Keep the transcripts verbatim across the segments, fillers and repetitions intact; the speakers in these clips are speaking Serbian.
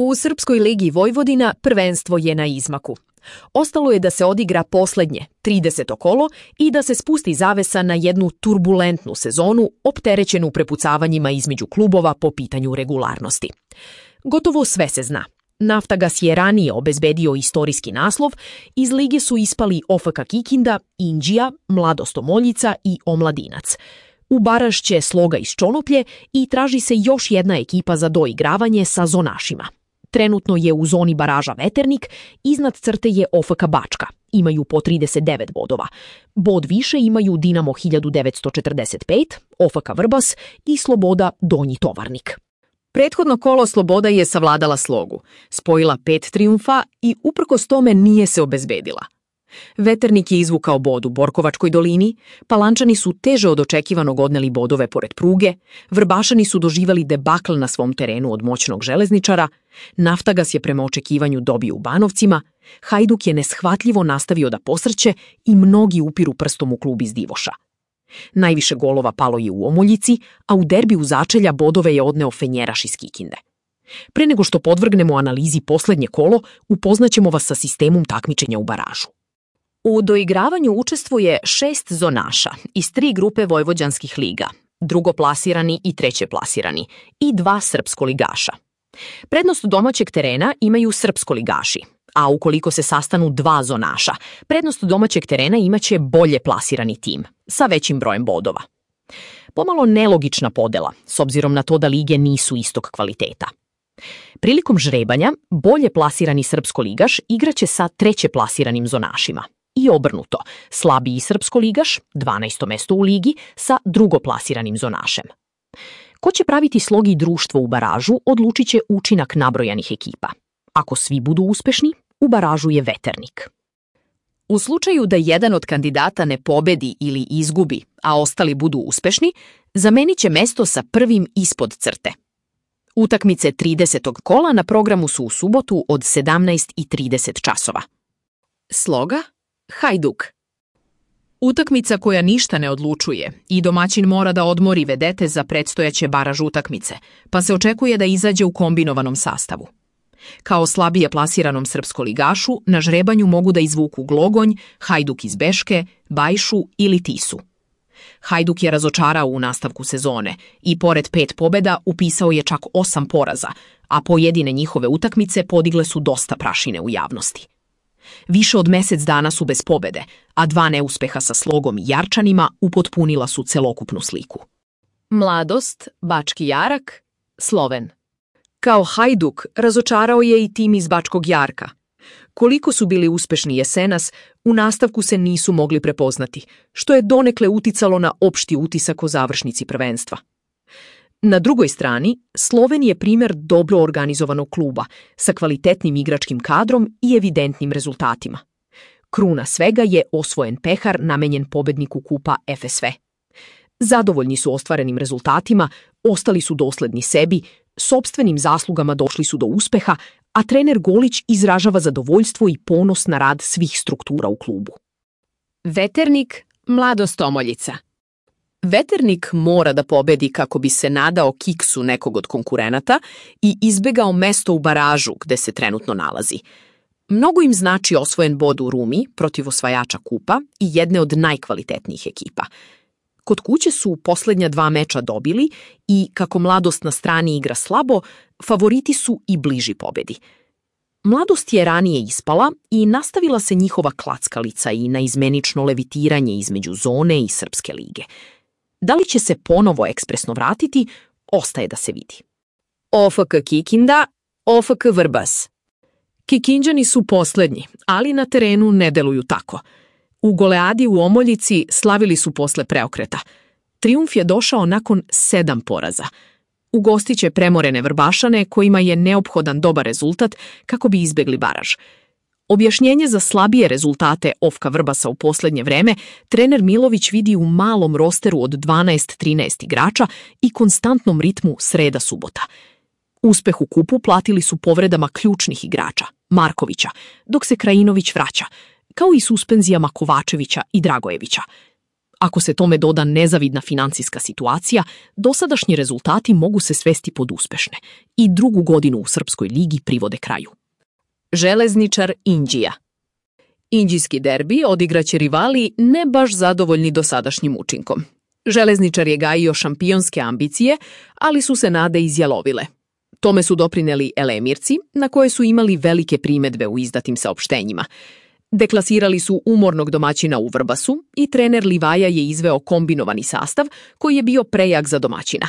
U Srpskoj ligi Vojvodina prvenstvo je na izmaku. Ostalo je da se odigra poslednje, trideseto kolo i da se spusti zavesa na jednu turbulentnu sezonu opterećenu prepucavanjima između klubova po pitanju regularnosti. Gotovo sve se zna. Naftagas je ranije obezbedio istorijski naslov, iz lige su ispali O F K Kikinda, Inđija, Mladost Omoljica i Omladinac. U baraž će Sloga iz Čonoplje i traži se još jedna ekipa za doigravanje sa zonašima. Trenutno je u zoni baraža Veternik, iznad crte je O F K Bačka. Imaju po trideset devet bodova. Bod više imaju Dinamo hiljadu devetsto četrdeset pet, O F K Vrbas i Sloboda Donji Tovarnik. Prethodno kolo Sloboda je savladala Slogu, spojila pet trijumfa i uprkos tome nije se obezbedila. Veternik je izvukao bod u Borkovačkoj dolini, Palančani su teže od očekivanog odneli bodove pored pruge, Vrbašani su doživali debakl na svom terenu od moćnog železničara, Naftagas je prema očekivanju dobio u Banovcima, Hajduk je neshvatljivo nastavio da posrće i mnogi upiru prstom u klub iz Divoša. Najviše golova palo je u Omoljici, a u derbiju začelja bodove je odneo Fenjeraš iz Kikinde. Pre nego što podvrgnemo analizi poslednje kolo, upoznaćemo vas sa sistemom takmičenja u baražu. U doigravanju učestvuje šest zonaša iz tri grupe vojvođanskih liga, drugoplasirani i trećeplasirani, i dva srpskoligaša. Prednost domaćeg terena imaju srpskoligaši, a ukoliko se sastanu dva zonaša, prednost domaćeg terena imaće bolje plasirani tim, sa većim brojem bodova. Pomalo nelogična podela, s obzirom na to da lige nisu istog kvaliteta. Prilikom žrebanja, bolje plasirani srpskoligaš igraće sa trećeplasiranim zonašima. I obrnuto, slabiji srpskoligaš, dvanaesto mesto u ligi, sa drugoplasiranim zonašem. Ko će praviti Slogi društvo u baražu, odlučit će učinak nabrojanih ekipa. Ako svi budu uspešni, u baražu je Veternik. U slučaju da jedan od kandidata ne pobedi ili izgubi, a ostali budu uspešni, zamenit će mesto sa prvim ispod crte. Utakmice tridesetog kola na programu su u subotu od sedamnaest i trideset časova. Sloga, Hajduk. Utakmica koja ništa ne odlučuje i domaćin mora da odmori vedete za predstojaće baraž utakmice, pa se očekuje da izađe u kombinovanom sastavu. Kao slabije plasiranom srpskoligašu na žrebanju mogu da izvuku Glogonj, Hajduk iz Beške, Bajšu ili Tisu. Hajduk je razočarao u nastavku sezone i pored pet pobeda upisao je čak osam poraza, a pojedine njihove utakmice podigle su dosta prašine u javnosti. Više od mesec dana su bez pobede, a dva neuspeha sa Slogom i Jarčanima upotpunila su celokupnu sliku. Mladost, Bački Jarak, Sloven. Kao Hajduk razočarao je i tim iz Bačkog Jarka. Koliko su bili uspešni jesenas, u nastavku se nisu mogli prepoznati, što je donekle uticalo na opšti utisak o završnici prvenstva. Na drugoj strani, Sloven je primer dobro organizovanog kluba, sa kvalitetnim igračkim kadrom i evidentnim rezultatima. Kruna svega je osvojen pehar namenjen pobedniku kupa F S V. Zadovoljni su ostvarenim rezultatima, ostali su dosledni sebi, sopstvenim zaslugama došli su do uspeha, a trener Golić izražava zadovoljstvo i ponos na rad svih struktura u klubu. Veternik, Mladost Omoljica. Veternik mora da pobedi kako bi se nadao kiksu nekog od konkurenata i izbegao mesto u baražu gde se trenutno nalazi. Mnogo im znači osvojen bod u Rumi protiv osvajača kupa i jedne od najkvalitetnijih ekipa. Kod kuće su poslednja dva meča dobili i, kako Mladost na strani igra slabo, favoriti su i bliži pobedi. Mladost je ranije ispala i nastavila se njihova klackalica i naizmenično levitiranje između zone i Srpske lige. Da li će se ponovo ekspresno vratiti, ostaje da se vidi. O F K Kikinda, O F K Vrbas. Kikinđani su poslednji, ali na terenu ne deluju tako. U goleadi u Omoljici slavili su posle preokreta. Trijumf je došao nakon sedam poraza. Ugostiće premorene Vrbašane kojima je neophodan dobar rezultat kako bi izbegli baraž. Objašnjenje za slabije rezultate O F K Vrbasa u poslednje vreme trener Milović vidi u malom rosteru od dvanaest trinaest igrača i konstantnom ritmu sreda-subota. Uspeh u kupu platili su povredama ključnih igrača, Markovića, dok se Krajinović vraća, kao i suspenzijama Kovačevića i Dragojevića. Ako se tome doda nezavidna financijska situacija, dosadašnji rezultati mogu se svesti pod uspešne i drugu godinu u Srpskoj ligi privode kraju. Železničar Inđija. Inđijski derbi odigraće rivali ne baš zadovoljni dosadašnjim učinkom. Železničar je gajio šampionske ambicije, ali su se nade izjalovile. Tome su doprineli Elemirci, na koje su imali velike primedbe u izdatim saopštenjima. Deklasirali su umornog domaćina u Vrbasu i trener Livaja je izveo kombinovani sastav koji je bio prejak za domaćina.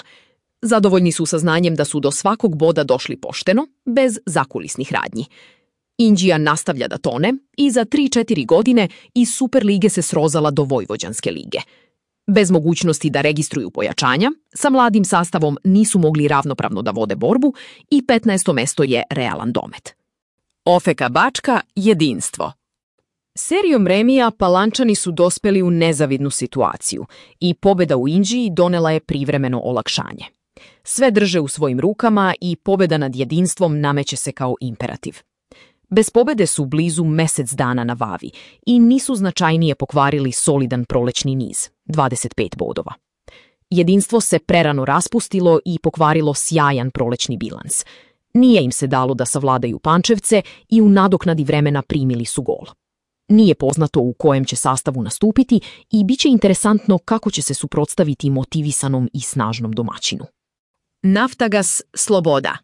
Zadovoljni su saznanjem da su do svakog boda došli pošteno, bez zakulisnih radnji. Inđija nastavlja da tone i za tri četiri godine iz Superlige se srozala do Vojvođanske lige. Bez mogućnosti da registruju pojačanja, sa mladim sastavom nisu mogli ravnopravno da vode borbu i petnaesto mesto je realan domet. O F K Bačka jedinstvo. Serijom remija Palančani su dospeli u nezavidnu situaciju i pobeda u Inđiji donela je privremeno olakšanje. Sve drže u svojim rukama i pobeda nad jedinstvom nameće se kao imperativ. Bez pobede su blizu mesec dana na vavi i nisu značajnije pokvarili solidan prolećni niz, dvadeset pet bodova. Jedinstvo se prerano raspustilo i pokvarilo sjajan prolećni bilans. Nije im se dalo da savladaju Pančevce i u nadoknadi vremena primili su gol. Nije poznato u kojem će sastavu nastupiti i bit će interesantno kako će se suprotstaviti motivisanom i snažnom domaćinu. Naftagas Sloboda.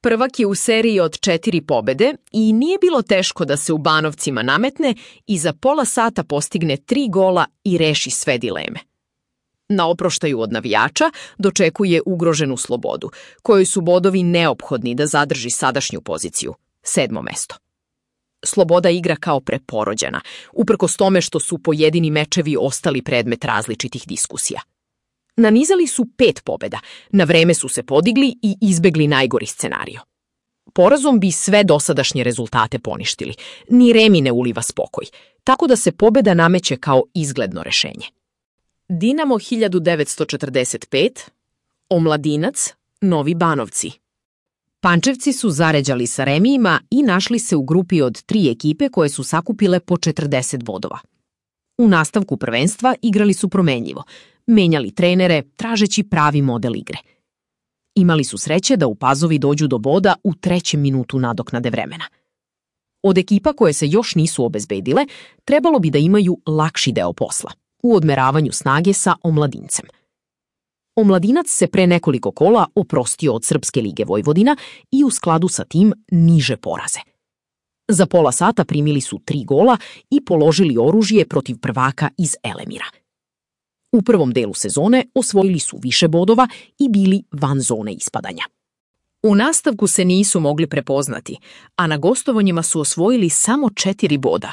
Prvak je u seriji od četiri pobede i nije bilo teško da se u Banovcima nametne i za pola sata postigne tri gola i reši sve dileme. Na oproštaju od navijača dočekuje ugroženu Slobodu, kojoj su bodovi neophodni da zadrži sadašnju poziciju, sedmo mesto. Sloboda igra kao preporođena, uprkos tome što su pojedini mečevi ostali predmet različitih diskusija. Nanizali su pet pobeda, na vreme su se podigli i izbegli najgori scenario. Porazom bi sve dosadašnje rezultate poništili, ni remi ne uliva spokoj, tako da se pobeda nameće kao izgledno rešenje. Dinamo hiljadu devetsto četrdeset pet, Omladinac, Novi Banovci. Pančevci su zaređali sa remijima i našli se u grupi od tri ekipe koje su sakupile po četrdeset bodova. U nastavku prvenstva igrali su promenljivo, menjali trenere, tražeći pravi model igre. Imali su sreće da u Pazovi dođu do boda u trećem minutu nadoknade vremena. Od ekipa koje se još nisu obezbedile, trebalo bi da imaju lakši deo posla, u odmeravanju snage sa Omladincem. Omladinac se pre nekoliko kola oprostio od Srpske lige Vojvodina i u skladu sa tim niže poraze. Za pola sata primili su tri gola i položili oružje protiv prvaka iz Elemira. U prvom delu sezone osvojili su više bodova i bili van zone ispadanja. U nastavku se nisu mogli prepoznati, a na gostovanjima su osvojili samo četiri boda,